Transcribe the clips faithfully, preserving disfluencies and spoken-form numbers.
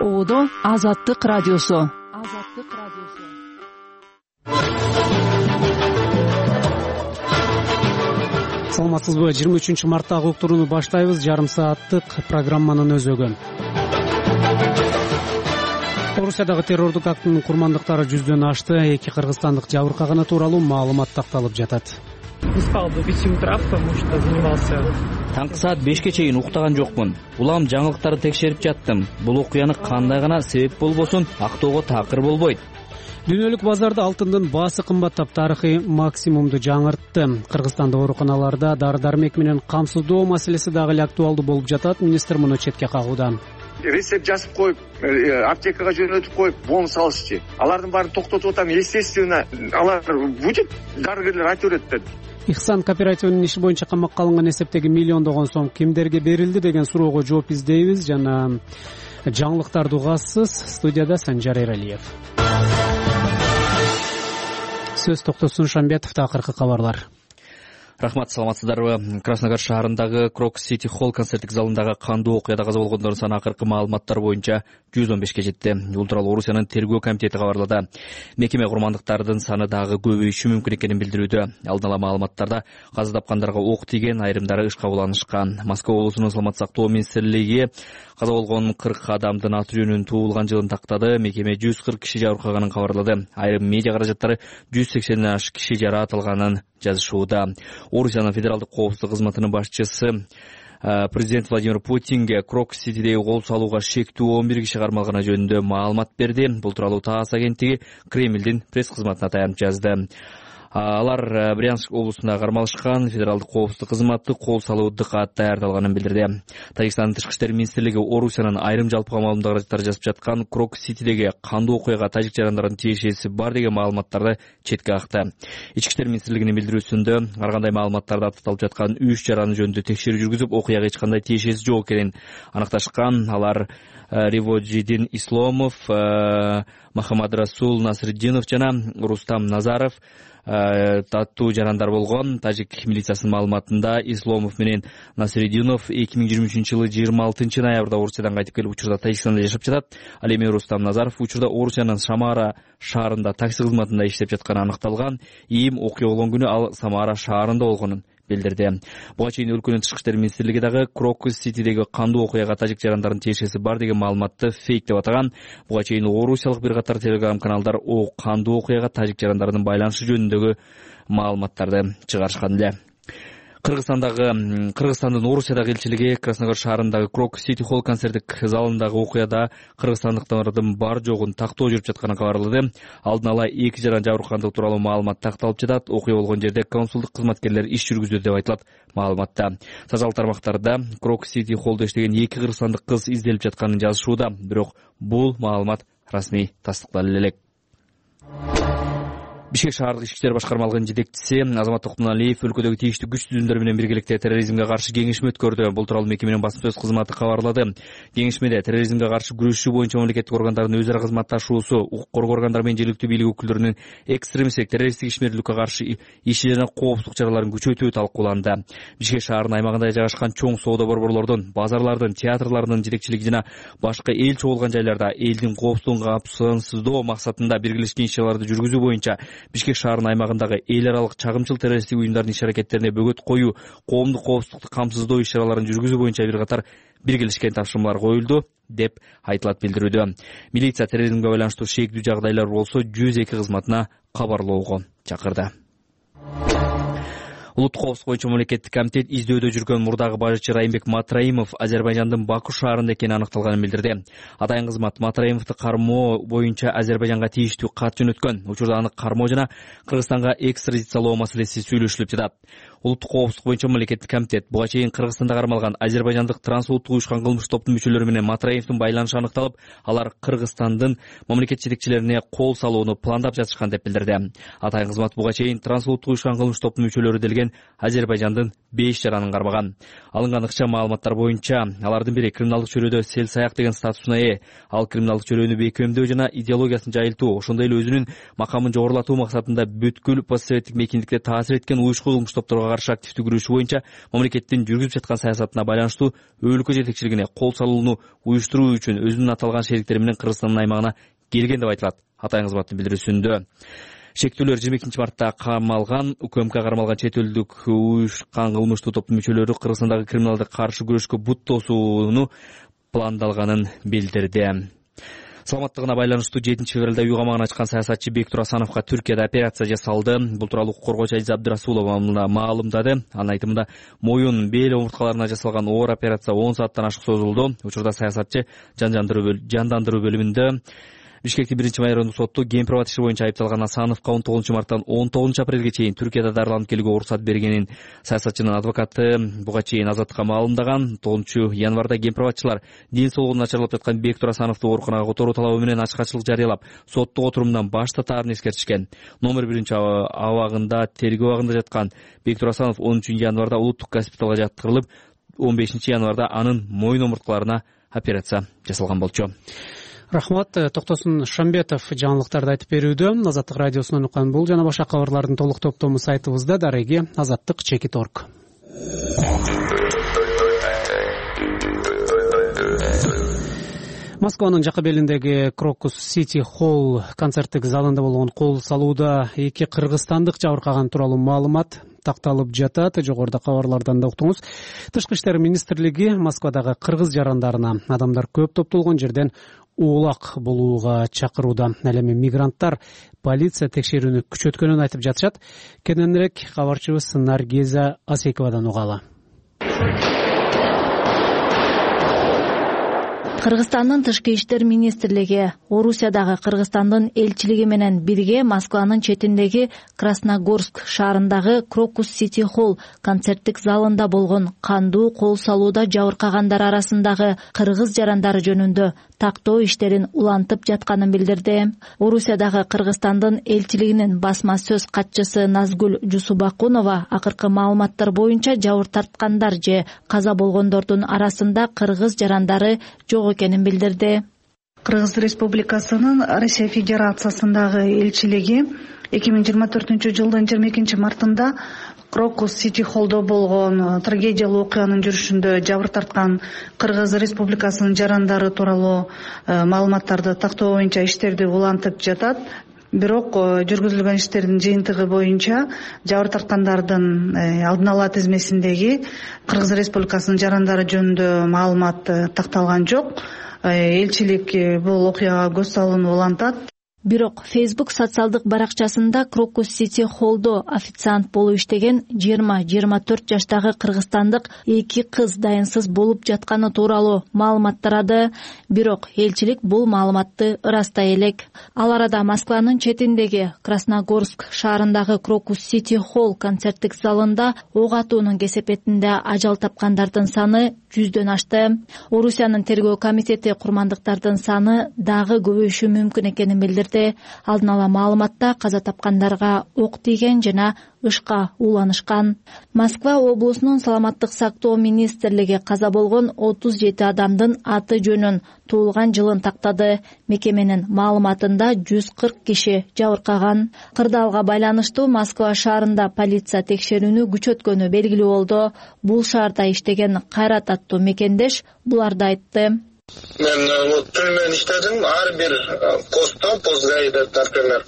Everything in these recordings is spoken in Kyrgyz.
Оодо Азаттык радиосу. Азаттык радиосу. Саламатсызбы? жыйырма үчүнчү марттагы уктурууну баштайбыз. Жарым сааттык программанын өзөгү. Орусиядагы террордук актынын курмандыктары жүздөн ашты. Эки кыргызстандык жабыркаганы тууралуу маалымат такталып жатат. Не спал до пяти утра, потому что занимался. Таңкы саат бешке чейин уктаган жокмун. Улам жаңылыктарды текшерип жаттым. Бул окуяны кандай гана себеп болбосун актоого такыр болбойт. Дүйнөлүк базарда алтындын баасы кымбаттап, тарыхый максимумду жаңыртты. Кыргызстандын ооруканаларда дары-дармек менен камсыздоо маселеси дагы эле актуалдуу болуп жатат. Министр муну четке кагууда. Рецепт жазып коюп, аптекага жөнөтүп коюп, бонус алышчы. Алардын баарын токтотуп атам. Естественно, алар будет, дарыгерлер айта берет деп. Ихсан кооперативинин иши боюнча камакка алынган эсептеги миллиондогон сом кимдерге берилди деген суроого жооп издейбиз. Жана жаңылыктарды угасыз. Студияда Санжар Эралиев. Сөз Токтосун Шамбетовдо акыркы кабарлар. Рахмат, саламатсыздарбы? Краснодар шаарындагы Крок Сити Холл концерттик залындагы кандуу окуяда каза болгондордун саны акыркы маалыматтар боюнча жүз он бешке жетти. Бул тууралуу Орусиянын тергөө комитети кабарлады. Мекеме курмандыктардын саны дагы көбөйүшү мүмкүн экенин билдирүүдө. Алдын ала маалыматтарда каза тапкандарга ок тийген, айрымдары иш кабыл алынышкан. Москва облусунун саламат сактоо министрлиги каза болгон кырк адамдын аты жөнүнүн туулган жылын тактады. Мекеме жүз кырк киши жабыркаганын кабарлады. Айрым медиа каражаттары жүз сексенден ашык киши жараатылганын жазышууда. Орусиянын федералдык коопсуздук кызматынын башчысы президент Владимир Путинге Крок Ситидеги кол салууга шектүү он бир киши кармалганы жөнүндө маалымат берди. Бул тууралуу ТАСС агенттиги Кремлдин пресс кызматына таянып жазды. Алар Брянск облусунда кармалышкан. Федералдык коопсуздук кызматы кол салууду кат даярдалганын билдирди. Тажикстандын тышкы иштер министрлиги Орусиянын айрым жалпыга маалымдоо каражаттары жазып жаткан Крок Ситидеги кандуу окуяга тажик жарандардын тиешеси бар деген маалыматтарды четке какты. Ички иштер министрлигинин билдирүүсүндө ар кандай маалыматтарды апталып жаткан үч жараны жөнүндө текшерүү жүргүзүп, окуяга эч кандай тиешеси жок экенин аныкташкан. Алар Риводжидин Исломов, Махамад Расул Насриддинов жана Рустам Назаров таттуу жарандар болгон. Тажик милициясынын маалыматында Исломов менен Насриддинов эки миң жыйырма үчүнчү жылы жыйырма алтынчы ноябрда Орусиядан кайтып келип, учурда Тажикстанда жашап жатат. Ал эми Рустам Назаров учурда Орусиянын Самара шаарында такси кызматында иштеп жатканы аныкталган. Ийим окуя болгон күнү ал Самара шаарында болгонун билдирди. Буга чейин өлкөнүн тышкы иштер министрлиги дагы Крок Ситидеги кандуу окуяга тажик жарандардын тиешеси бар деген маалыматты фейк деп атаган. Буга чейин орусиялык бир катар телеграм каналдар о кандуу окуяга тажик жарандардын байланышы жөнүндөгү маалыматтарды чыгарышкан эле. Кыргызстандагы Кыргызстандын Орусиядагы элчилиги Краснодар шаарындагы Крок Сити Холл концерттик залындагы окуяда кыргызстандыктардын бар жогун тактоо жүрүп жатканын кабарлады. Алдын ала эки жаран жабыркагандыгы тууралуу маалымат такталып жатат. Окуя болгон жерде консулдук кызматкерлер иш жүргүздү деп айтылат маалыматта. Сожал тармактарда Крок Сити Холлдо иштеген эки кыргызстандык кыз изделип жатканын жазышууда. Бирок бул маалымат расмий тастыкталып элек. Бишкек шаардык ички иштер башкармалыгынын жетекчиси Азамат Токтоналиев өлкөдөгү тийиштүү күч түзүмдөр менен биргеликте терроризмге каршы кеңешме өткөрдү. Бул тууралуу мекеменин басма сөз кызматы кабарлады. Кеңешмеде терроризмге каршы күрөшүү боюнча мамлекеттик органдардын өз ара кызматташуусу, укук коргоо органдары менен жергиликтүү бийлик өкүлдөрүнүн экстремисттик террористтик ишмердүүлүккө каршы иши жана коопсуздук чараларын күчөтүү талкууланды. Бишкек шаарынын аймагында жайгашкан чоң соода борборлордун, базарлардын, театрлардын жетекчилиги жана башка эл чогулган жайларда элдин коопсуздугун камсыздоо максатында биргелешкен иш-чараларды жүргүзүү боюнча Бишкек шаарынын аймагындагы эл аралык чагымчыл террористтик уюмдардын иш-аракеттерине бөгөт коюу, коомдук коопсуздукту камсыздоо иш-чараларын жүргүзүү боюнча бир катар биргелешкен тапшырмалар коюлду деп айтылат билдирүүдө. Милиция терроризмге байланыштуу шектүү жагдайлар болсо жүз эки кызматына кабарлоого чакырды. Улуттук коопсуздук боюнча мамлекеттик комитет издөөдө жүргөн мурдагы бажычы Райымбек Матраимов Азербайжандын Баку шаарында экени аныкталганын билдирди. Атайын кызмат Матраимовду кармоо боюнча Азербайжанга тийиштүү кат жөнөткөн. Учурда аны кармоо жана Кыргызстанга экстрадициялоо маселеси сүйлөшүлүп жатат. Улуттук коопсуздук боюнча мамлекеттик комитет буга чейин Кыргызстанда кармалган азербайжандык трансулуттук уюшкан кылмыш топтун мүчөлөрү менен Матраимовдун байланышы аныкталып, алар Кыргызстандын мамлекет жетекчилерине кол салууну пландап жатышкан деп билдирди. Атайын кызмат буга чейин трансулуттук уюшкан кылмыш топтун мүчөлөрү делген менен Азербайжандын беш жаранын кармаган. Алынган ыкчам маалыматтар боюнча алардын бири криминалдык чөйрөдө сел саяк деген статусуна ээ. Ал криминалдык чөйрөнү бекемдөө жана идеологиясын жайылтуу, ошондой эле өзүнүн макамын жогорулатуу максатында бүткүл постсоветтик мейкиндикте таасир эткен уюшкул кылмыш топторго каршы активдүү күрөшүү боюнча мамлекеттин жүргүзүп жаткан саясатына байланыштуу өлкө жетекчилигине кол салууну уюштуруу үчүн өзүнүн аталган шериктери менен Кыргызстандын аймагына келген деп айтылат атайын кызматтын билдирүүсүндө. Шектүүлөр жыйырма экинчи мартта камалган, УКМК кармалган чет элдик уюшкан кылмыштуу топтун мүчөлөрү Кыргызстандагы криминалдык каршы күрөшкө бут тосууну пландалганын билдирди. Саламаттыгына байланыштуу жетинчи февралда үй камагын ачкан саясатчы Бектур Асановго Түркияда операция жасалды. Бул тууралуу укук коргоочу Азиза Абдырасулова маалымдады. Анын айтымында моюн, бел омурткаларына жасалган оор операция он сааттан ашык созулду. Учурда саясатчы жандандыруу бөлүмүндө. Бишкектин биринчи майорундук соту Кемпирабад иши боюнча айыпталган Асановго он тогузунчу марттан он тогузунчу апрелге чейин Түркияда дарыланып келүүгө уруксат бергенин саясатчынын адвокаты буга чейин Азаттыкка маалымдаган. тогузунчу январда кемпирабадчылар ден соолугу начарлап жаткан Бектур Асановду ооруканага которуу талабы менен ачкачылык жарыялап, соттук отурумдан баш тартаарын эскертишкен. Номер биринчи абагында тергөө абагында жаткан Бектур Асанов онунчу январда улуттук госпиталга жаткырылып, он бешинчи январда анын моюн омурткаларына операция жасалган болчу. Рахмат. Токтосун Шамбетов жаңылыктарды айтып берүүдө. Азаттык радиосунан уккан бул жана башка кабарлардын толук топтому сайтыбызда дареги азаттык чекит точка орг. Москванын жакы белиндеги Крокус Сити Холл концерттик залында болгон кол салууда эки кыргызстандык жабыркаган тууралуу маалымат такталып жатат. Жогоруда кабарлардан да уктуңуз. Тышкы иштер министрлиги Москвадагы кыргыз жарандарына адамдар көп топтолгон жерден уулак болууга чакырууда. Ал эми мигранттар полиция текшерүүнү күчөткөнүн айтып жатышат. Кененирээк кабарчыбыз Наргиза Асековадан угалы. Кыргызстандын тышкы иштер министрлиги Орусиядагы Кыргызстандын элчилиги менен бирге Москванын четиндеги Красногорск шаарындагы Крокус Сити Холл концерттик залында болгон кандуу кол салууда жабыркагандар арасындагы кыргыз жарандары жөнүндө тактоо иштерин улантып жатканын билдирди. Орусиядагы Кыргызстандын элчилигинин басма сөз катчысы Назгүл Жусубакунова акыркы маалыматтар боюнча жабыр тарткандар же каза болгондордун арасында кыргыз жарандары жок экенин билдирди. Кыргыз Республикасынын Россия Федерациясындагы элчилиги эки миң жыйырма төртүнчү жылдын жыйырма экинчи мартында Крокус Сити Холлдо болгон трагедиялуу окуянын жүрүшүндө жабыр тарткан Кыргыз Республикасынын жарандары тууралуу маалыматтарды тактоо боюнча иштерди улантып жатат. Бирок жүргүзүлгөн иштердин жыйынтыгы боюнча жабыр тарткандардын алдын ала тизмесиндеги Кыргыз Республикасынын жарандары жөнүндө маалымат такталган жок. Элчилик бул окуяга көз салууну улантат. Бирок Facebook социалдык баракчасында Крокус Сити Холлдо официант болуп иштеген жыйырма жыйырма төрт жаштагы кыргызстандык эки кыз дайынсыз болуп жатканы тууралуу маалымат тарады. Бирок элчилик бул маалыматты ырастай элек. Ал арада Москванын четиндеги Красногорск шаарындагы Крокус Сити Холл концерттик залында ок атуунун кесепетинде ажал тапкандардын саны жүздөн ашты. Орусиянын тергөө комитети курмандыктардын саны дагы көбөйүшү мүмкүн экенин билдирди. Алдын ала маалыматта каза тапкандарга ок тийген жана ышка ууланышкан. Москва облусунун саламаттык сактоо министрлиги каза болгон отуз жети адамдын аты жөнүн, туулган жылын тактады. Мекеменин маалыматында жүз кырк киши жабыркаган. Кырдаалга байланыштуу Москва шаарында полиция текшерүүнү күчөткөнү белгилүү болду. Бул шаарда иштеген Кайрат аттуу мекендеш буларды айтты. Мен түнү менен иштедим. Ар бир постто, пост гаиде, например,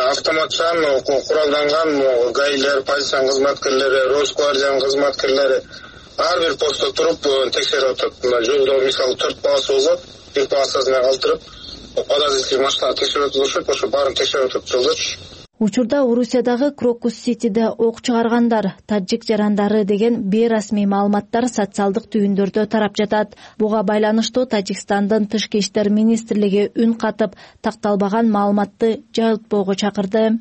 автоматчан куралданган гаилер, полициянын кызматкерлери, Росквардиянын кызматкерлери ар бир постто туруп текшерип атат. Жолдо мисалы төрт полоса болот, бир полосасына калтырып, подозрительный машина текшерип атышат, ошо баарын текшерип атат жолдочу. Учурда Орусиядагы Крокус Ситиде ок чыгаргандар, тажик жарандары деген бейрасмий маалыматтар социалдык түйүндөрдө тарап жатат. Буга байланыштуу Тажикстандын тышкы иштер министрлиги үн катып, такталбаган маалыматты жайылтпоого чакырды.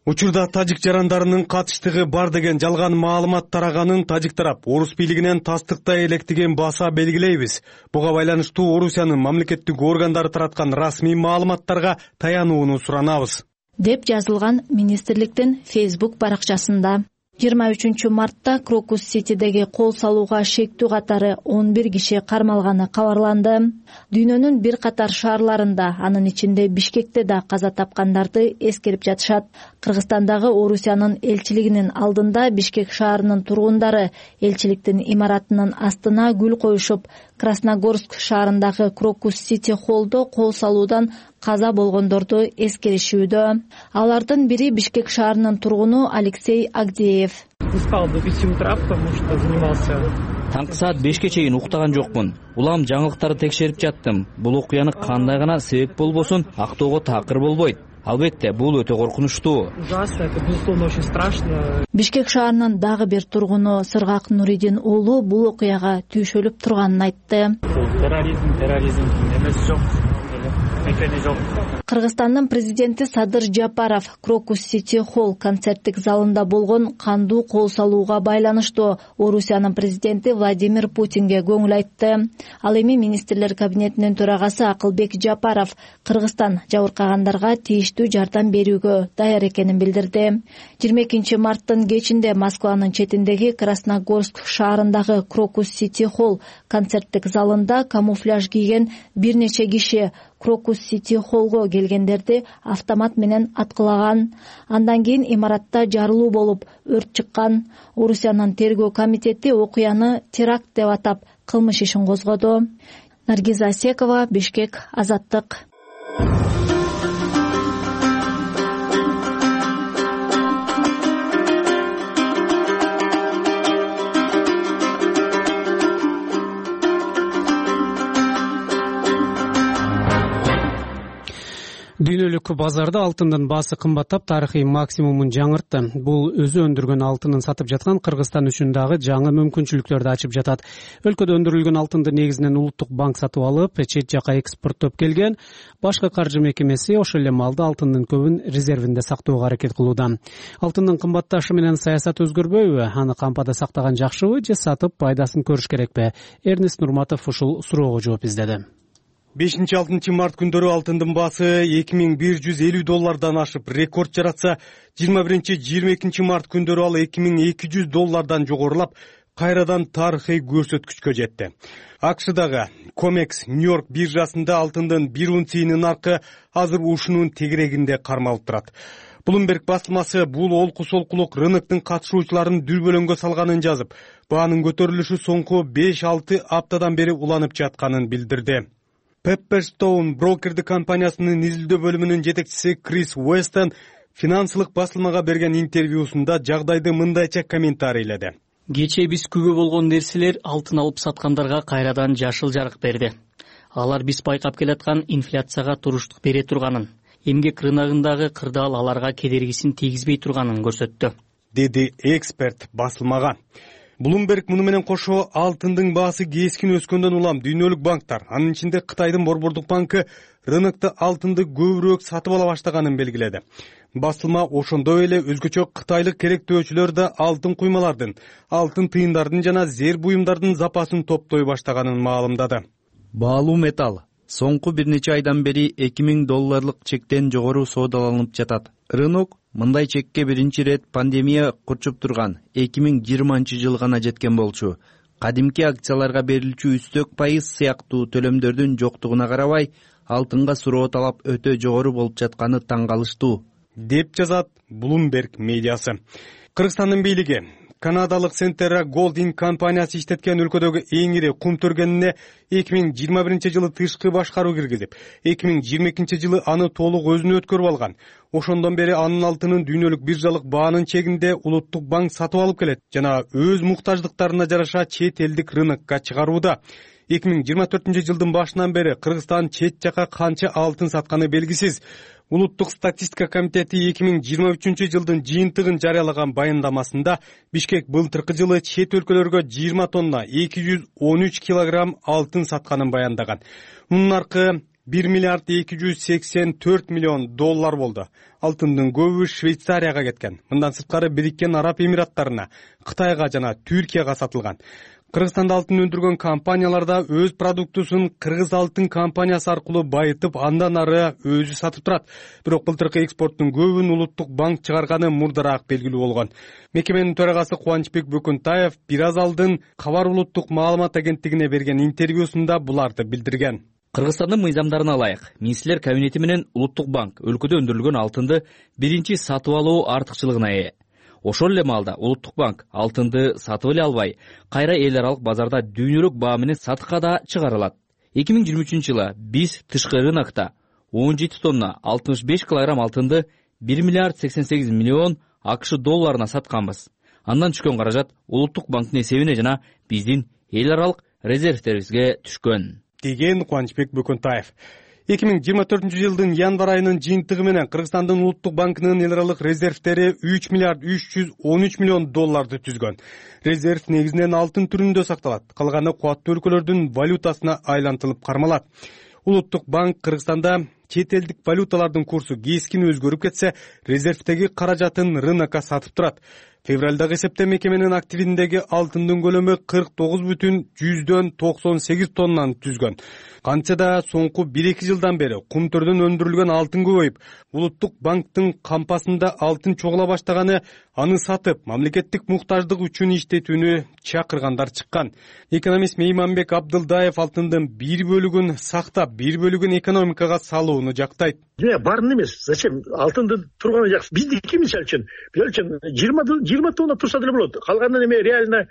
Учурда тажик жарандарынын катыштыгы бар деген жалган маалымат тараганын тажик тарап орус бийлигинен тастыктай электигин баса белгилейбиз. Буга байланыштуу Орусиянын мамлекеттик органдары тараткан расмий маалыматтарга таянууну суранабыз, деп жазылган министрликтин Facebook баракчасында. жыйырма үчүнчү мартта Крокус Ситидеги кол салууга шектүү катары он бир киши кармалганы кабарланды. Дүйнөнүн бир катар шаарларында, анын ичинде Бишкекте да каза тапкандарды эскерип жатышат. Кыргызстандагы Орусиянын элчилигинин алдында Бишкек шаарынын тургундары элчиликтин имаратынын астына гүл коюшуп, Красногорск шаарындагы Крокус Сити холлдо кол салуудан каза болгондорду эскеришүүдө. Алардын бири Бишкек шаарынын тургуну Алексей Агдеев. Не спал до пяти утра, потому что занимался. Таңкы саат бешке чейин уктаган жокмун. Улам жаңылыктарды текшерип жаттым. Бул окуяны кандай гана себеп болбосун актоого такыр болбойт. Албетте, бул өтө коркунучтуу. Ужасно, это безусловно очень страшно. Бишкек шаарынын дагы бир тургуну Сыргак Нуридин уулу бул окуяга түйшөлүп турганын айтты. Терроризм, терроризм эмес жок. Кыргызстандын президенти Садыр Жапаров Крокус Сити холл концерттик залында болгон кандуу кол салууга байланыштуу Орусиянын президенти Владимир Путинге көңүл айтты. Ал эми министрлер кабинетинин төрагасы Акылбек Жапаров Кыргызстан жабыркагандарга тийиштүү жардам берүүгө даяр экенин билдирди. жыйырма экинчи марттын кечинде Москванын четиндеги Красногорск шаарындагы Крокус Сити холл концерттик залында камуфляж кийген бир нече киши Крокус Сити холлго келгендерди автомат менен аткылаган. Андан кийин имаратта жарылуу болуп, өрт чыккан. Орусиянын тергөө комитети окуяны теракт деп атап, кылмыш ишин козгоду. Наргиза Асекова, Бишкек, Азаттык. Дүйнөлүк базарда алтындын баасы кымбаттап, тарыхый максимумун жаңыртты. Бул өзү өндүргөн алтынын сатып жаткан Кыргызстан үчүн дагы жаңы мүмкүнчүлүктөрдү ачып жатат. Өлкөдө өндүрүлгөн алтынды негизинен улуттук банк сатып алып, чет жака экспорттоп келген. Башкы каржы мекемеси ошол эле маалда алтындын көбүн резервинде сактоого аракет кылууда. Алтындын кымбатташы менен саясат өзгөрбөйбү? Аны кампада сактаган жакшыбы же сатып пайдасын көрүш керекпи? Эрнест Нурматов ушул суроого жооп издеди. бешинчи алтынчы март күндөрү алтындын баасы эки миң бир жүз элүү доллардан ашып рекорд жаратса, жыйырма биринчи жыйырма экинчи март күндөрү ал эки миң эки жүз доллардан жогорулап, кайрадан тарыхый көрсөткүчкө жетти. акшдагы Комекс Нью-Йорк биржасында алтындын бир унциясынын наркы азыр ушунун тегерегинде кармалып турат. Bloomberg басылмасы бул олку солкулук рыноктун катышуучуларын дүрбөлөңгө салганын жазып, баанын көтөрүлүшү соңку беш алты аптадан бери уланып жатканын билдирди. Pepperstone брокердик компаниясынын изилдөө бөлүмүнүн жетекчиси Крис Уэстон финансылык басылмага берген интервьюсунда жагдайды мындайча комментарийледи. Кечээ биз күбө болгон нерселер алтын алып саткандарга кайрадан жашыл жарык берди. Алар биз байкап келаткан инфляцияга туруштук бере турганын, эмгек рыногундагы кырдаал аларга кедергисин тийгизбей турганын көрсөттү, деди эксперт басылмага. Bloomberg муну менен кошо алтындын баасы кескин өскөндөн улам дүйнөлүк банктар, анын ичинде Кытайдын Борбордук банкы рынокто алтынды көбүрөөк сатып ала баштаганын белгиледи. Басылма ошондой эле өзгөчө кытайлык керектөөчүлөр да алтын куймалардын, алтын тыйындардын жана зер буюмдардын запасын топтой баштаганын маалымдады. Баалуу металл соңку бир нече айдан бери эки миң долларлык чектен жогору соодаланып жатат. Рынок мындай чекке биринчи рет пандемия курчуп турган эки миң жыйырманчы жыл гана жеткен болчу. Кадимки акцияларга берилчү үстөк пайыз сыяктуу төлөмдөрдүн жоктугуна карабай, алтынга суроо талап өтө жогору болуп жатканы таң калыштуу, деп жазат Bloomberg медиасы. Кыргызстандын бийлиги Канадалык Centerra Golding компаниясы иштеткен өлкөдөгү эң ири кум төргенине эки миң жыйырма биринчи жылы тышкы башкаруу киргизип, эки миң жыйырма экинчи жылы аны толук өзүнө өткөрүп алган. Ошондон бери анын алтынын дүйнөлүк биржалык баанын чегинде улуттук банк сатып алып келет жана өз муктаждыктарына жараша чет элдик рынокко чыгарууда. эки миң жыйырма төртүнчү жылдын башынан бери Кыргызстан чет жака канча алтын сатканы белгисиз. Улуттук статистика комитети эки миң жыйырма үчүнчү жылдын жыйынтыгын жарыялаган баяндамасында Бишкек былтыркы жылы чет өлкөлөргө жыйырма тонна эки жүз он үч килограмм алтын сатканын баяндаган. Мунун наркы бир миллиард эки жүз сексен төрт миллион доллар болду. Алтындын көбү Швейцарияга кеткен. Мындан сырткары Бириккен Араб Эмираттарына, Кытайга жана Түркияга сатылган. Кыргызстанда алтын өндүргөн компаниялар да өз продуктусун Кыргыз алтын компаниясы аркылуу байытып, андан ары өзү сатып турат. Бирок былтыркы экспорттун көбүн Улуттук банк чыгарганы мурдараак белгилүү болгон. Мекеменин төрагасы Кубанычбек Бөкөнтаев бир аз алдын Кабар улуттук маалымат агенттигине берген интервьюсунда буларды билдирген. Кыргызстандын мыйзамдарына ылайык Министрлер кабинети менен Улуттук банк өлкөдө өндүрүлгөн алтынды биринчи сатып алуу артыкчылыгына ээ. Ошол эле маалда Улуттук банк алтынды сатып эле албай, кайра эл аралык базарда дүйнөлүк баа менен сатыкка да чыгарылат. эки миң жыйырма үчүнчү жылы биз тышкы рынокто он жети тонна алтымыш беш килограмм алтынды бир миллиард сексен сегиз миллион АКШ долларына сатканбыз. Андан түшкөн каражат Улуттук банктын эсебине жана биздин эл аралык резервтерибизге түшкөн, деген Кубанычбек Бөкөнтаев. эки миң жыйырма төртүнчү жылдын январь айынын жыйынтыгы менен Кыргызстандын Улуттук банкынын эл аралык резервтери үч миллиард үч жүз он үч миллион долларды түзгөн. Резерв негизинен алтын түрүндө сакталат, калганы кубаттуу өлкөлөрдүн валютасына айлантылып кармалат. Улуттук банк Кыргызстанда чет элдик валюталардын курсу кескин өзгөрүп кетсе, резервтеги каражатын рынокко сатып турат. Февралдагы эсепте мекеменин активиндеги алтындын көлөмү кырк тогуз бүтүн жүздөн токсон сегиз тоннаны түзгөн. Кантса да соңку бир эки жылдан бери кумтөрдөн өндүрүлгөн алтын көбөйүп, Улуттук банктын кампасында алтын чогула баштаганы аны сатып, мамлекеттик муктаждык үчүн иштетүүнү чакыргандар чыккан. Экономист Мейманбек Абдылдаев алтындын бир бөлүгүн сактап, бир бөлүгүн экономикага салууну жактайт. Барын эмес, зачем алтындын турганы жакшы. Биздики мисалы үчүн, мисалы үчүн жыйырма тонна турса деле болот. Калганын эме реально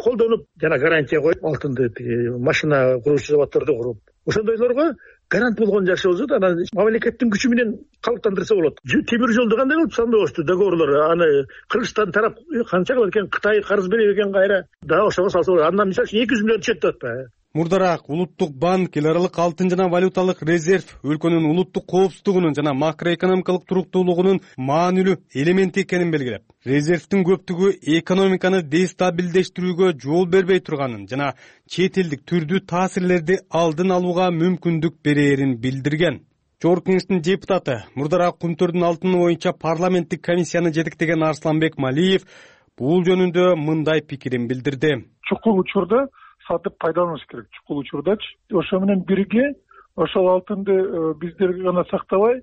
колдонуп, жана гарантия коюп, алтынды машина куруучу заводдорду куруп, ошондойлорго гарант болгон жакшы болсо, анан мамлекеттин күчү менен калыптандырса болот. Темир жолду кандай кылып сандабашту договорлор, аны Кыргызстан тарап канча кылат экен, Кытай карыз берет экен кайра. Да ошого салса болот. Андан мисалы үчүн эки жүз миллион түшөт деп атпайбы? Мурдараак Улуттук банк эл аралык алтын жана валюталык резерв өлкөнүн улуттук коопсуздугунун жана макроэкономикалык туруктуулугунун маанилүү элементи экенин белгилеп, резервдин көптүгү экономиканы дестабилдештирүүгө жол бербей турганын жана чет элдик түрдүү таасирлерди алдын алууга мүмкүндүк берээрин билдирген. Жогорку кеңештин депутаты, мурдараак кумтөрдүн алтыны боюнча парламенттик комиссияны жетектеген Арсланбек Малиев бул жөнүндө мындай пикирин билдирди. Чукул учурда сатып пайдаланыш керек, чукул учурдачы. Ошо менен бирге ошол алтынды биздер гана сактабай,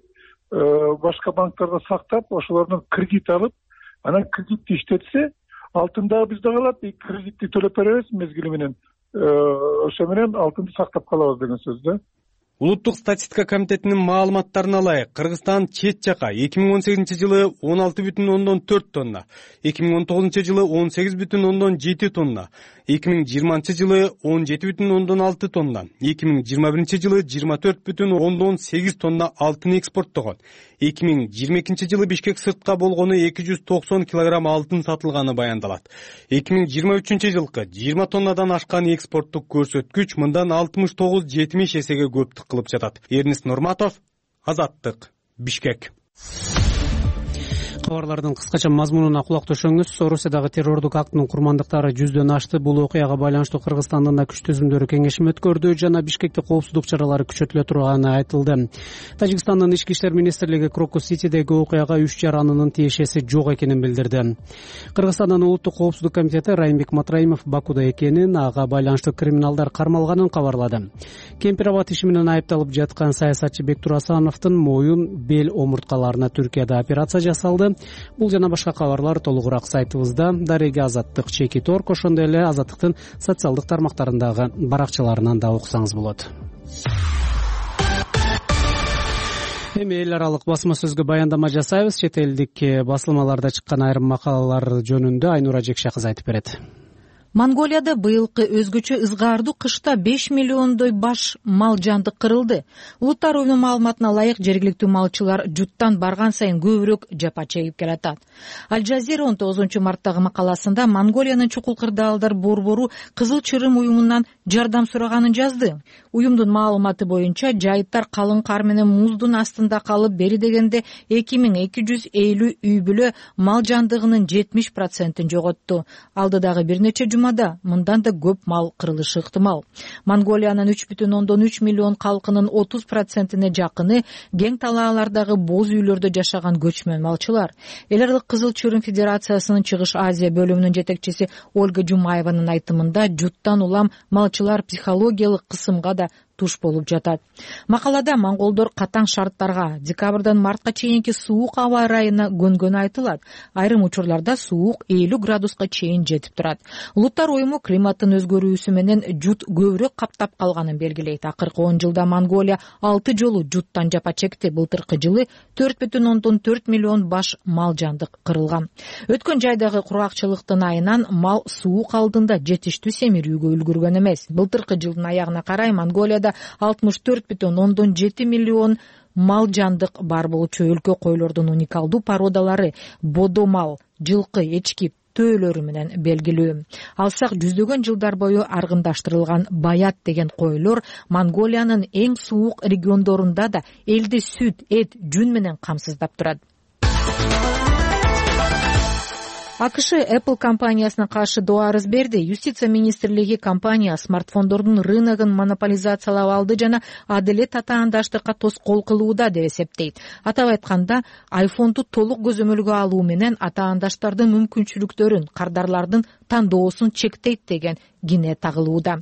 башка банктарда сактап, ошолордон кредит алып, анан кредитти иштетсе, алтын дагы бизде калат, кредитти төлөп беребиз мезгили менен. Ошо менен алтынды сактап калабыз деген сөз да. Улуттук статистика комитетинин маалыматтарына ылайык, Кыргызстан чет жака эки миң он сегизинчи жылы он алты бүтүн ондон төрт тонна, эки миң он тогузунчу жылы он сегиз бүтүн ондон жети тонна, эки миң жыйырманчы жылы он жети бүтүн ондон алты тонна, эки миң жыйырма биринчи жылы жыйырма төрт бүтүн ондон сегиз тонна алтын экспорттогон. эки миң жыйырма экинчи жылы Бишкек сыртка болгону эки жүз токсон килограмм алтын сатылганы баяндалат. эки миң жыйырма үчүнчү жылкы жыйырма тоннадан ашкан экспорттук көрсөткүч мындан алтымыш тогуз жетимиш эсеге көптүк кылып жатат. Эрнис Нурматов, Азаттык, Бишкек. Кабарлардын кыскача мазмунуна кулак төшөңүз. Орусиядагы террордук актынын курмандыктары жүздөн ашты. Бул окуяга байланыштуу Кыргызстандын да күч түзүмдөрү кеңешим өткөрдү жана Бишкекте коопсуздук чаралары күчөтүлө турганы айтылды. Тажикстандын ички иштер министрлиги Крокус-Ситидеги окуяга үч жаранынын тиешеси жок экенин билдирди. Кыргызстандын улуттук коопсуздук комитети Райымбек Матраимов Бакуда экенин, ага байланыштуу криминалдар кармалганын кабарлады. Кемпир абад иши менен айыпталып жаткан саясатчы Бектур Асановдун моюн, бел омурткаларына Түркияда операция жасалды. Бул жана башка кабарлар толугураак сайтыбызда, дареги Азаттык чекит точка орг, ошондой эле Азаттыктын социалдык тармактарындагы баракчаларынан да окусаңыз болот. Эми эл аралык басма сөзгө баяндама жасайбыз. Чет элдик басылмаларда чыккан айрым макалалар жөнүндө Айнура Жекше кызы айтып берет. Монголияда быйылкы өзгөчө ызгаардуу кышта беш миллиондой баш мал жандык кырылды. Улуттар уюмунун маалыматына ылайык, жергиликтүү малчылар жуттан барган сайын көбүрөөк жапа чегип келатат. Аль Жазира он тогузунчу марттагы макаласында Монголиянын чукул кырдаалдар борбору Кызыл Чырым уюмунан жардам сураганын жазды. Уюмдун маалыматы боюнча жайыттар калың кар менен муздун астында калып, бери дегенде эки миң эки жүз элүү үй бүлө мал жандыгынын жетимиш процентин жоготту. Алдыдагы бир нече жума аймагында мындан да көп мал кырылышы ыктымал. Монголиянын үч бүтүн ондон үч миллион калкынын отуз процентине жакыны кең талаалардагы боз үйлөрдө жашаган көчмөн малчылар. Эл аралык Кызыл Чырым Федерациясынын Чыгыш Азия бөлүмүнүн жетекчиси Ольга Жумаеванын айтымында жуттан улам малчылар психологиялык кысымга да туш болуп жатат. Макалада монголдор катаң шарттарга, декабрдан мартка чейинки суук аба ырайына көнгөнү айтылат. Айрым учурларда суук элүү градуска чейин жетип турат. Улуттар уюму климаттын өзгөрүүсү менен жут көбүрөөк каптап калганын белгилейт. Акыркы он жылда Монголия алты жолу жуттан жапа чекти. Былтыркы жылы төрт бүтүн ондон төрт миллион баш мал жандык кырылган. Өткөн жайдагы кургакчылыктын айынан мал суук алдында жетиштүү семирүүгө үлгүргөн эмес. Былтыркы жылдын аягына карай Монголияда алтымыш төрт бүтүн ондон жети миллион мал жандык бар болчу. Өлкө койлордун уникалдуу породалары бодо мал, жылкы, эчки төөлөрү менен белгилүү. Алсак жүздөгөн жылдар бою аргындаштырылган баят деген койлор Монголиянын эң суук региондорунда да элди сүт, эт, жүн менен камсыздап турат. АКШ Apple компаниясына каршы доо арыз берди. Юстиция министрлиги компания смартфондордун рыногун монополизациялап алды жана адилет татаандаштыкка тоскоол кылууда деп эсептейт. Атап айтканда, айфонду толук көзөмөлгө алуу менен атаандаштардын мүмкүнчүлүктөрүн, кардарлардын тандоосун чектейт деген кине тагылууда.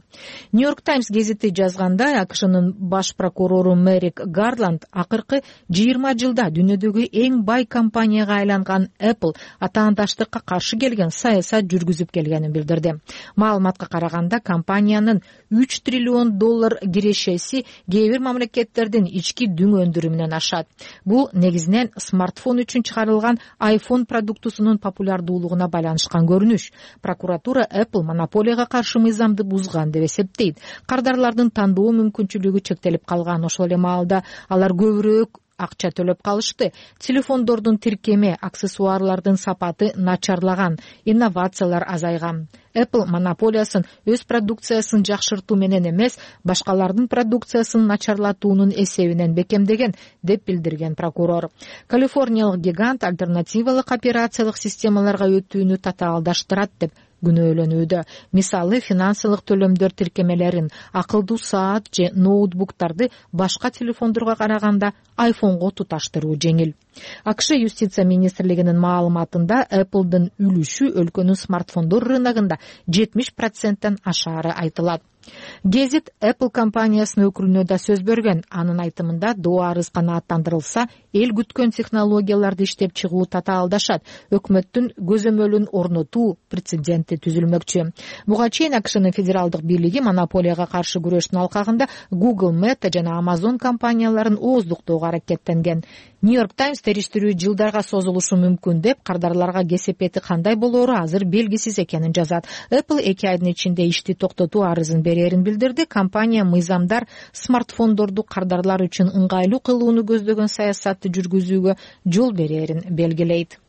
Нью-Йорк Таймс гезити жазгандай, АКШнын баш прокурору Мерик Гарланд акыркы жыйырма жылда дүйнөдөгү эң бай компанияга айланган Apple атаандаштыкка каршы келген саясат жүргүзүп келгенин билдирди. Маалыматка караганда, компаниянын үч триллион доллар кирешеси кээ бир мамлекеттердин ички дүң өндүрүмүнөн ашат. Бул негизинен смартфон үчүн чыгарылган iPhone продуктусунун популярдуулугуна байланышкан көрүнүш. Прокуратура Apple монополияга каршы мыйзамды бузган деп эсептейт. Кардарлардын тандоо мүмкүнчүлүгү чектелип калган. Ошол эле маалда алар көбүрөөк акча төлөп калышты. Телефондордун тиркеме, аксессуарлардын сапаты начарлаган, инновациялар азайган. Apple монополиясын өз продукциясын жакшыртуу менен эмес, башкалардын продукциясын начарлатуунун эсебинен бекемдеген деп билдирген прокурор. Калифорниялык гигант альтернативалык операциялык системаларга өтүүнү татаалдаштырат деп күнөөлөнүүдө. Мисалы, финансылык төлөмдөр тиркемелерин, акылдуу саат же ноутбуктарды башка телефондорго караганда айфонго туташтыруу жеңил. АКШ юстиция министрлигинин маалыматында Apple'дын үлүшү өлкөнүн смартфондор рыногунда жетимиш проценттен ашаары айтылат. Гезит Apple компаниясынын өкүлүнө да сөз берген. Анын айтымында, доо арыз канааттандырылса, эл күткөн технологияларды иштеп чыгуу татаалдашат. Өкмөттүн көзөмөлүн орнотуу прецеденти түзүлмөкчү. Буга чейин АКШнын федералдык бийлиги монополияга каршы күрөштүн алкагында Google, Meta жана Amazon компанияларын ооздуктоого аракеттенген. Нью-Йорк Таймс териштирүү жылдарга созулушу мүмкүн деп, кардарларга кесепети кандай болоору азыр белгисиз экенин жазат. Apple эки айдын ичинде ишти токтотуу арызын берерин билдирди. Компания мыйзамдар смартфондорду кардарлар үчүн ыңгайлуу кылууну көздөгөн саясатты жүргүзүүгө жол берерин белгилейт.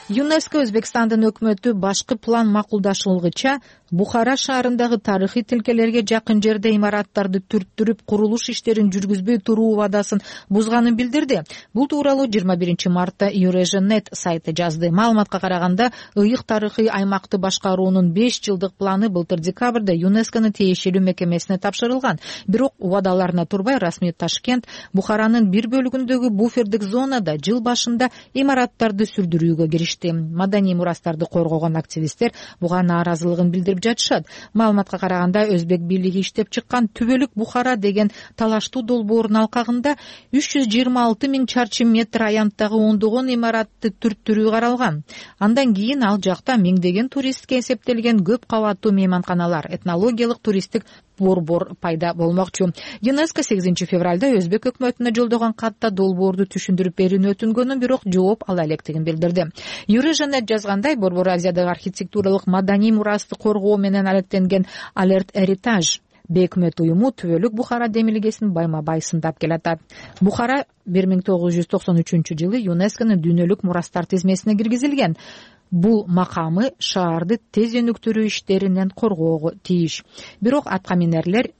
ЮНЕСКО Өзбекстандын өкмөтү башкы план макулдашылгыча Бухара шаарындагы тарыхый тилкелерге жакын жерде имараттарды түрттүрүп курулуш иштерин жүргүзбөй туруу убадасын бузганын билдирди. Бул тууралуу жыйырма биринчи мартта Eurasian.net сайты жазды. Маалыматка караганда, ыйык тарыхый аймакты башкаруунун беш жылдык планы былтыр декабрда ЮНЕСКОнун тиешелүү мекемесине тапшырылган. Бирок убадаларына турбай, расмий Ташкент Бухаранын бир бөлүгүндөгү буфердик зонада жыл башында имараттарды сүрдүрүүгө киришти. Маданий мурастарды коргогон активисттер буга нааразылыгын билдирип жатышат. Маалыматка караганда, Өзбек бийлиги иштеп чыккан Түбөлүк Бухара деген талаштуу долбоордун алкагында үч жүз жыйырма алты миң чарчы метр аянттагы ондогон имаратты түрттүрүү каралган. Андан кийин ал жакта миңдеген туристке эсептелген көп кабаттуу мейманканалар, этнологиялык туристтик борбор пайда болмокчу. ЮНЕСКО сегизинчи февралда Өзбек өкмөтүнө жолдогон катта долбоорду түшүндүрүп берүүнү өтүнгөнүн, бирок жооп ала электигин билдирди. Eurasian.net жазгандай, Борбор Азиядагы архитектуралык маданий мурасты коргоо менен алектенген Alert Heritage бейөкмөт уюму Түбөлүк Бухара демилгесин байма-бай сындап келатат. Бухара бир миң тогуз жүз токсон үчүнчү жылы ЮНЕСКОнун дүйнөлүк мурастар тизмесине киргизилген. Бул макамы шаарды тез өнүктүрүү иштеринен коргоого тийиш. Бирок аткаминерлер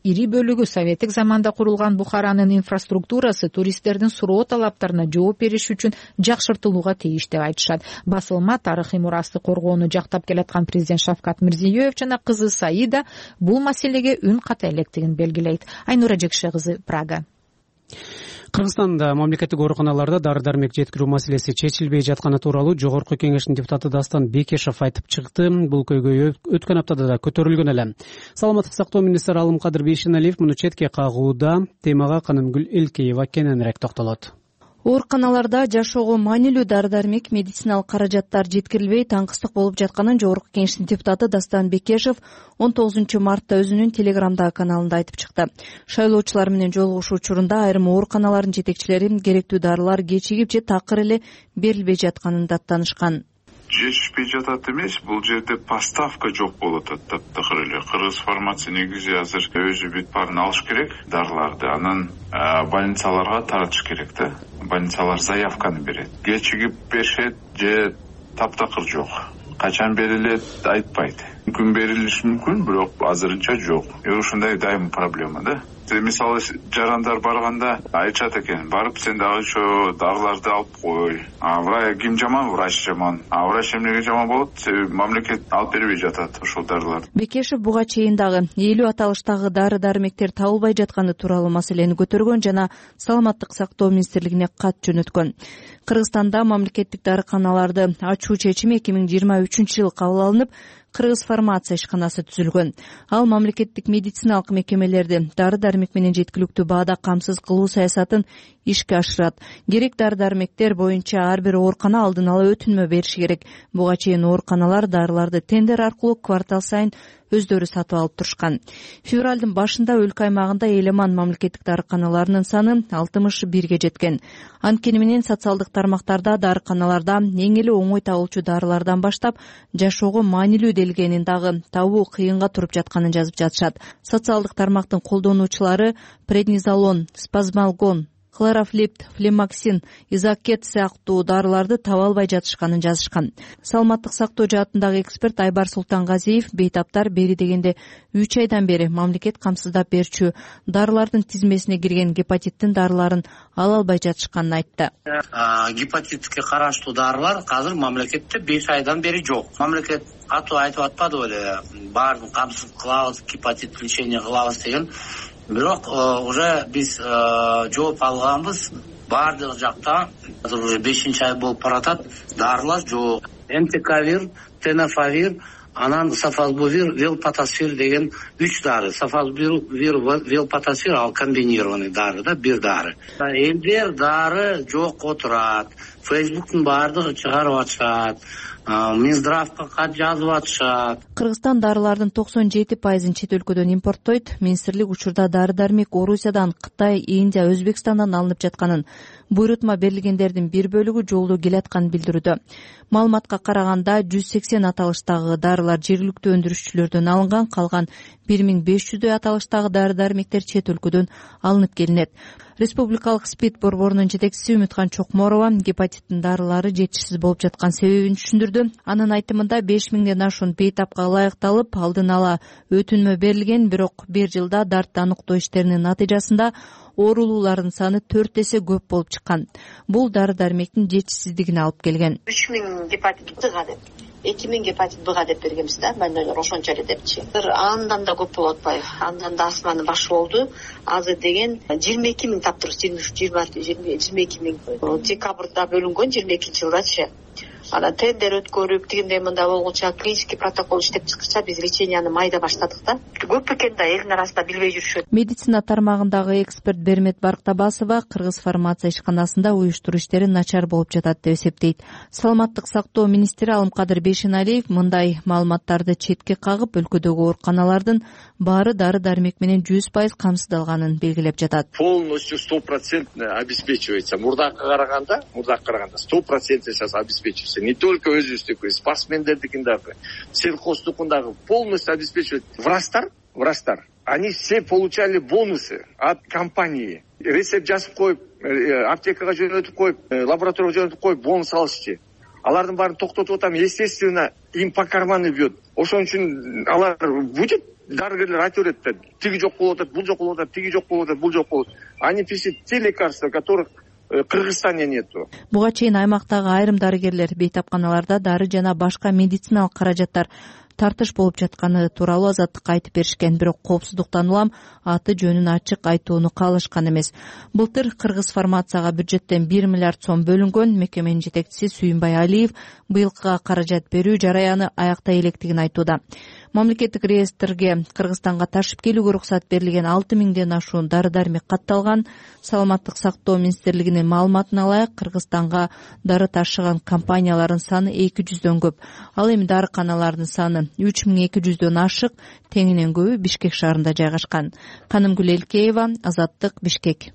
ири бөлүгү советтик заманда курулган Бухаранын инфраструктурасы туристтердин суроо талаптарына жооп бериш үчүн жакшыртылууга тийиш деп айтышат. Басылма тарыхый мурасты коргоону жактап келаткан президент Шавкат Мирзиёев жана кызы Саида бул маселеге үн ката электигин белгилейт. Айнура Жекше кызы, Прага. Кыргызстанда мамлекеттик ооруканаларда дары-дармек жеткирүү маселеси чечилбей жатканы тууралуу Жогорку Кеңештин депутаты Дастан Бекешев айтып чыкты. Бул көйгөй өткөн аптада да көтөрүлгөн эле. Саламаттык сактоо министри Алымкадыр Бейшеналиев муну четке кагууда. Темага Канымгүл Элкеева кененирээк токтолот. Ооруканаларда жашоого маанилүү дары-дармек, медициналык каражаттар жеткирилбей таңкыстык болуп жатканын Жогорку Кеңештин депутаты Дастан Бекешев он тогузунчу мартта өзүнүн Телеграмдагы каналында айтып чыкты. Шайлоочулар менен жолугушуу учурунда айрым ооруканалардын жетекчилери керектүү дарылар кечигип же такыр эле берилбей жатканын даттанышкан. Жетишпей жатат эмес, бул жерде поставка жок болуп атат таптакыр эле. Кыргыз фармация негизи азыр өзү бүт баарын алыш керек дарыларды, анан больницаларга таратыш керек да. Больницалар заявканы берет. Кечигип беришет же таптакыр жок. Качан берилет айтпайт. Мүмкүн берилиши мүмкүн, бирок азырынча жок. Ушундай дайым проблема да. Мисалы жарандар барганда айтышат экен, барып сен дагы ошо дарыларды алып кой. А ким жаман? Врач жаман. А врач эмнеге жаман болот? Себеби мамлекет алып бербей жатат ошол дарыларды. Бекешев буга чейин дагы элүү аталыштагы дары-дармектер табылбай жатканы тууралуу маселени көтөргөн жана Саламаттык сактоо министрлигине кат жөнөткөн. Кыргызстанда мамлекеттик дарыканаларды ачуу чечими эки миң жыйырма үчүнчү жылы кабыл алынып, Кыргыз фармация ишканасы түзүлгөн. Ал мамлекеттик медициналык мекемелерди дары-дармек менен жеткиликтүү баада камсыз кылуу саясатын ишке ашырат. Керек дары-дармектер боюнча ар бир оорукана алдын ала өтүнмө бериши керек. Буга чейин ооруканалар дарыларды тендер аркылуу квартал сайын өздөрү сатып алып турушкан. Февралдын башында өлкө аймагында Элеман мамлекеттик дарыканаларынын саны алтымыш бирге жеткен. Анткени менен социалдык тармактарда дарыканаларда эң эле оңой табылчу дарылардан баштап жашоого маанилүү делгенин дагы табуу кыйынга туруп жатканын жазып жатышат. Социалдык тармактын колдонуучулары преднизолон, спазмалгон, хлорофлипт, флемаксин, изакет сыяктуу дарыларды таба албай жатышканын жазышкан. Саламаттык сактоо жаатындагы эксперт Айбар Султангазиев бейтаптар бери дегенде үч айдан бери мамлекет камсыздап берчү дарылардын тизмесине кирген гепатиттин дарыларын ала албай жатышканын айтты. Гепатитке караштуу дарылар азыр мамлекетте беш айдан бери жок. Мамлекет катуу айтып атпады беле, баарын камсыз кылабыз, гепатит лечение кылабыз деген. Бирок уже биз жооп алганбыз, баардык жакта азыр уже бешинчи ай болуп баратат, дарылар жок. Энтекавир, тенофавир, анан сафазбувир, велпатосфир деген үч дары. Сафазбувир, велпатосфир ал комбинированный дары да, бир дары. Элдер дары жок отурат. Фейсбуктун баардыгы чыгарып атышат. Минздравка кат жазып атышат. Кыргызстан дарылардын токсон жети пайызын чет өлкөдөн импорттойт. Министрлик учурда дары-дармек Орусиядан, Кытай, Индия, Өзбекстандан алынып жатканын, буйрутма берилгендердин бир бөлүгү жолдо келатканын билдирүүдө. Маалыматка караганда жүз сексен аталыштагы дарылар жергиликтүү өндүрүшчүлөрдөн алынган, калган бир миң беш жүздөй аталыштагы дары-дармектер чет өлкөдөн алынып келинет. Республикалык СПИД борборунун жетекчиси Үмүткан Чокморова гепатиттин дарылары жетишсиз болуп жаткан себебин түшүндүрдү. Анын айтымында беш миңден ашуун бейтапка ылайыкталып, алдын ала өтүнмө берилген, бирок бир жылда дартты аныктоо иштеринин натыйжасында оорулуулардын саны төрт эсе көп болуп чыккан. Бул дары-дармектин жетишсиздигине алып келген. үч миң гепатит Б-га деп, эки миң гепатит Б-га деп бергенбиз да, больнойлор ошончо эле депчи. Андан да көп болуп атпайбы? Андан да астманын башы болду. Азыр деген жыйырма эки миң таптырбыз, жыйырма үч, жыйырма, жыйырма эки миң. Декабрда бөлүнгөн жыйырма экинчи жылдачы. Анан тендер өткөрүп, тигиндей мында болгуча клинический протокол иштеп чыккыча биз леченияны майда баштадык да. Көп экен да, элдин арасында билбей жүрүшөт. Медицина тармагындагы эксперт Бермет Барктабасова Кыргыз фармация ишканасында уюштуруу иштери начар болуп жатат деп эсептейт. Саламаттык сактоо министри Алымкадыр Бейшеналиев мындай маалыматтарды четке кагып, өлкөдөгү ооруканалардын баары дары-дармек менен жүз пайыз камсыздалганын белгилеп жатат. Полностью сто процентный обеспечивается. Мурдакка караганда, мурдакка караганда сто процентный сейчас обеспечивается. Не только өзүбүздүкү, спортсмендердикин дагы, сельхоздукун дагы полностью обеспечивает. Врачтар, врачтар, они все получали бонусы от компании. Рецепт жазып коюп, аптекага жөнөтүп коюп, лабораторияга жөнөтүп коюп, бонус алышчы. Алардын баарын токтотуп атам, естественно, им по карману бьет. Ошон үчүн алар будет дарыгерлер айта берет да, тиги жок болуп атат, бул жок болуп атат, тиги жок болуп атат, бул жок болуп атат. Они пишут те лекарства, которых в Кыргызстане нету. Буга чейин аймактагы айрым дарыгерлер бейтапканаларда дары жана башка медициналык каражаттар тартыш болуп жатканы тууралуу Азаттыкка айтып беришкен, бирок коопсуздуктан улам аты жөнүн ачык айтууну каалашкан эмес. Былтыр Кыргыз фармацияга бюджеттен бир миллиард сом бөлүнгөн. Мекеменин жетекчиси Сүйүнбай Алиев быйылкыга каражат берүү жараяны аяктай электигин айтууда. Мамлекеттик реестрге Кыргызстанга ташып келүүгө уруксат берилген алты миңден ашуун дары-дармек катталган. Саламаттык сактоо министрлигинин маалыматына ылайык, Кыргызстанга дары ташыган компаниялардын саны эки жүздөн көп. Ал эми дарыканалардын саны үч миң эки жүздөн ашык, теңинен көбү Бишкек шаарында жайгашкан. Канымгүл Элкеева, Азаттык, Бишкек.